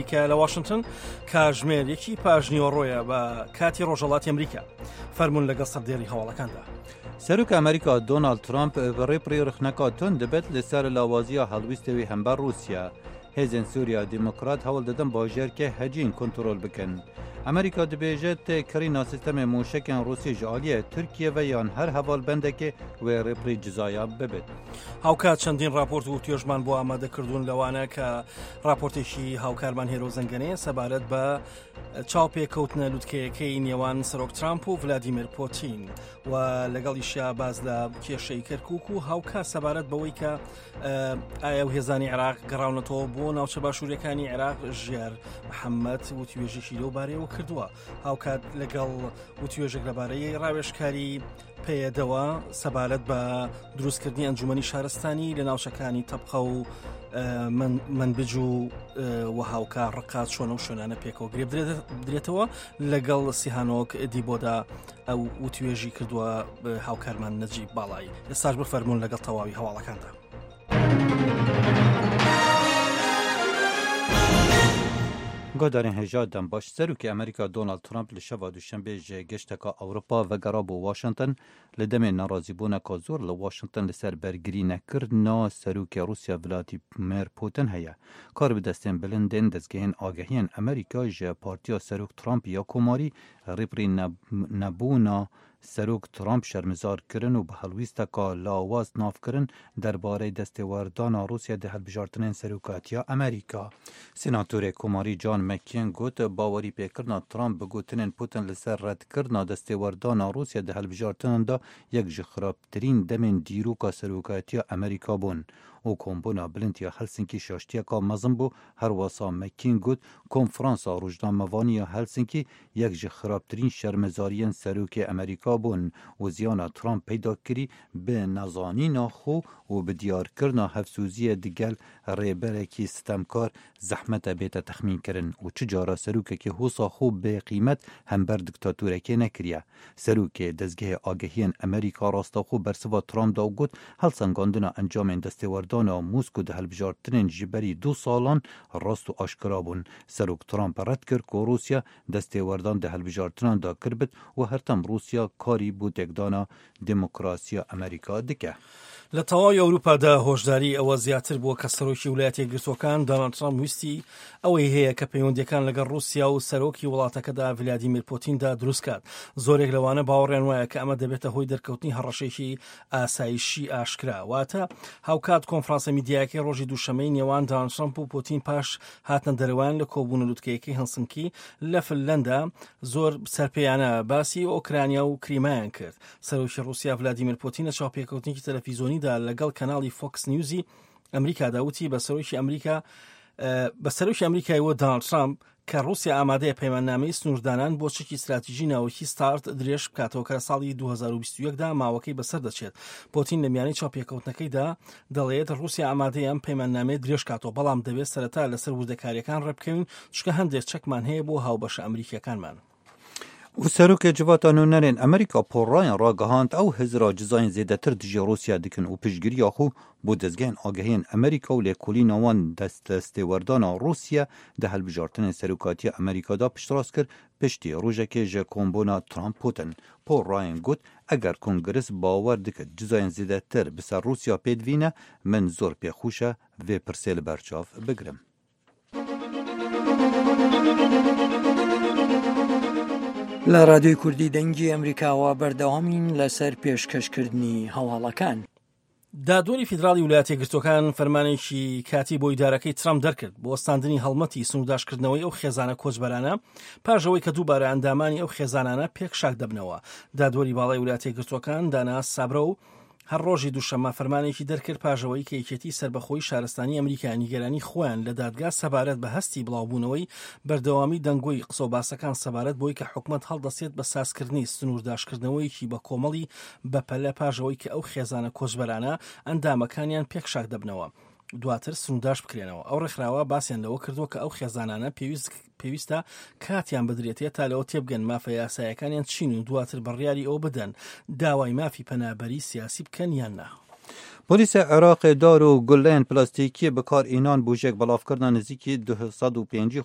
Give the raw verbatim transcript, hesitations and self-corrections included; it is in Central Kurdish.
ئەمریکا لە واشنتن کاتژمێر یەکی پاژنیوەڕۆیە بە کاتی ڕۆژهەڵاتی ئەمریکا. فەرمونون لەگەڵ سەردێری هەواڵەکاندا. سەرۆک ئەمریکا دۆناڵد ترامپ بە ڕێپڕی ڕخنەکە توند دەبێت لەسەر لاوازیە هەڵویستەوی هەمبەر رووسیا. هێزên سووریا دیموکرات هەوڵ دەدەن باژێرکێ هەجین کنترۆل بکەن. ئەمریکا دەبێژێت کڕینا سیستەمی موشەکên ڕووسی ji aliyê Tirkiye ve یان هەر هەواڵبەندێکی wê ڕێپڕی جزایە ببێت. هاوکات چەندین راپۆرت و توێژمان بۆ ئامادەکردوون لەوانە کە راپۆرتێکی هاوکارمان هێرۆ زەنگەنەیە سەبارەت بە چاوپێکەوتنە لوتکەیەکەی نێوان سەرۆک ترامپ و ڤلادیمیر پۆتین و لەگەڵیشیا باز لە کێشەی کەرکک و هاوکات سەبارەت بەوەی کە ئایا و هێزانی عێراق گەڕاونەتەوە بۆ ناوچە باشوورەکانی عێراق ژیار محەممەد وتوێژێکی لەو بارەیەوە کردووە. هاوکات لەگەڵ وتوێژێک لەبارەی ڕاوێژکاری پێیەدەوە سەبارەت بە دروستکردنی ئەنجومەنی شارستانی لە ناوچەکانی تەبقە و منبج و و هاوکار ڕقات چۆنە و شوێنانە پێکەوە گرێ بدرێتەوە. لەگەڵ سیهانۆک دیبۆدا ئەو وتوێژی کردووە هاوکارمان نەجیب باڵایی. ئێستاش بفەرمونون لەگەڵ تەواوی هەواڵەکاندا. گۆدارین هێژا دەم باش. سەرۆکی ئەمریکا دۆناڵد ترامپ لە شەوا دووشەنبێ ji گەشتەکە ئەوروپا vegerا بۆ واشنگتن لە دەمێ ناڕازیبوونەکە زۆر لە واشنگتن لەسەر بەرگری نەکردنا سەرۆکی رووسیا ڤلادیمیر پوتین هەیە. کار بەدەستێن بلندên دەستگەهên ئاگەهiyên ئەمریکا ji partiya سەرۆک ترامپ یا کۆماری ڕێپڕی نەبوونا سەرۆک ترامپ شەرمەزار kirin û bi helwîsteka lawaz navkirin derbarê destêwerdana Rûsya di hilbijartinên serokatiya Amerîka. Senatorê Komarî John McCain got bawerî pêkirina Trump bi gotinên Putin li ser redkirina destêwerdana Rûsya di hilbijartinan de yek ji xirabtirîn demên dîroka serokatiya Amerîka bûn û kombûna bilind ya Helsinkî şaştiyeka mezin bû. Herwesa McCain got konferansa rojnamevanî ya Helsinkî yek ji xirabtirîn şermezariyên serokê Amerîka bûn û ziyana Trump peyda kirî bi nezanîna xwe û bi diyarkirina hevsûziyê digel rêberekî sitemkar zehmet e bête texmînkirin û çi cara serokekî hosa xwe bêqîmet hember diktatorekê nekiriye. Serokê dezgehê agehiyên Amerîka rastexwe bersiva Trump da û got helsengandina encamên destêwerdana Moskو di hilbijartinên ji berî du salan rast û aşkera bûn. Serok Trump red kir ku Rûsya destêwerdan di hilbijartinan da kirbit û hertem Rûsya karî bû têkdana demokrasiya Amerîka dike. لە تەواوی ئەوروپادا هۆشداری ئەوە زیاتر بووە کە سەرۆکی ویلایەتە یەکگرتووەکان دۆناڵد ترامپ ویستی ئەوەی هەیە کە پەیوەندیەکان لەگەڵ رووسیا و سەرۆکی وڵاتەکەدا ڤلادیمیر پۆتیندا دروستکات. زۆرێک لەوانە باوەڕیان وایە کە ئەمە دەبێتە هۆی دەرکەوتنی هەڕەشێکی ئاسایشی ئاشکرا. واتە هاوکات کۆنفرانسە میدیایەکەی ڕۆژی دووشەمەی نێوان دۆناڵد ترامپ و پۆتین پاش هاتنە دەرەوەیان لە کۆبوونە لوتکەیەکەی هەلسنکی لە فنلەندا زۆر سەرپێیانە باسی ئۆکرانیا و کریمایان کرد. سەرۆکی رووسیا ڤلادیمیر پۆتین لە چاوپێکەوتنێکی تەلەفیزۆنیدا لەگەڵ کەناڵی فۆکس نیوزی ئەمریکادا وتی بە سەرۆکی ئەمریکا بە سەرۆکی ئەمریکای وە دۆناڵد ترامپ کە رووسیا ئامادەیە پەیماننامەی سنووردانان بۆ چەکی استراتیژی ناوەکی ستارت درێژ بکاتەوە کە لە ساڵی دوو هەزار و بیست و یەک دا ماوەکەی بەسەر دەچێت. پۆتین لە میانەی چاوپێکەوتنەکەیدا دەڵێت رووسیا ئامادەیە ئەم پەیماننامەیە درێژ کاتەوە، بەڵام دەبێت سەرەتا لەسەر وردەکاریەکان ڕێبکەوین، چونکە هەندێک چەکمان هەیە بۆ هاوبەشە ئەمریکیەکانمان. و سەرۆکê civata nûnerên Amerîka Paul Ryan ragihand ew hizra cizayên zêdetir dijî Rûsya dikin û piştgiriya xwe bo dezgehên agehiyên Amerîka û lêkolîna wan destêwerdana Rûsya di hilbijartinên serokatiya Amerîka da piştrast kir piştî rojekê ji kombûna Trump Putin. Paul Ryan got eger Kongres bawer dike cizayên zêdetir bi ser Rûsya pêdivîne min zor pêxweş e vê pirsê li berçav bigirim. لە رادیۆی کوردی دەنگی ئەمریکاوە بەردەوامین لەسەر پێشکەشکردنی هەواڵەکان. دادوەری فیدراڵی ویلایەتە یەکگرتووەکان فەرمانێکی کاتی بۆ ئیدارەکەی ترامپ دەرکرد بۆ وەستاندنی هەڵمەتی سنوورداشکردنەوەی ئەو خێزانە کۆچبەرانە پاش ئەوەی کە دووبارە ئەندامانی ئەو خێزانانە پێک شاک دەبنەوە. دادوەری باڵای ویلایەتە یەکگرتووەکان دانا سابرە و هەر ڕۆژی دووشەممە فەرمانێکی دەرکرد پاژەوەی کە یەکێتی سەربەخۆی شارستانی ئەمریکا نیگەرانی خۆیان لە دادگا سەبارەت بە هەستی بڵاوبوونەوەی بەردەوامی دەنگۆی قسە و باسەکان سەبارەت بۆی کە حکومەت هەڵدەسێت بە سازکردنی سنوورداشکردنەوەیەکی بە کۆمەڵی بەپەلە پاژەوەی کە ئەو خێزانە کۆچبەرانە ئەندامەکانیان پێک شاک دەبنەوە دواتر سنوورداش بکرێنەوە. ئەو ڕێکخراوە باسییان لەوە کردووە کە ئەو خێزانانە پێویستە کاتیان بدرێتێت تا لەوە تێبگەن مافە یاسایەکانیان چین و دواتر بڕیاری ئەو بدەن داوای مافی پەنابەری سیاسی بکەن یان نا. Polîsê Iraqê dar û gulleyên plastîkî bi kar înan bo jêkbelavkirina nêzîkî du sed û pêncî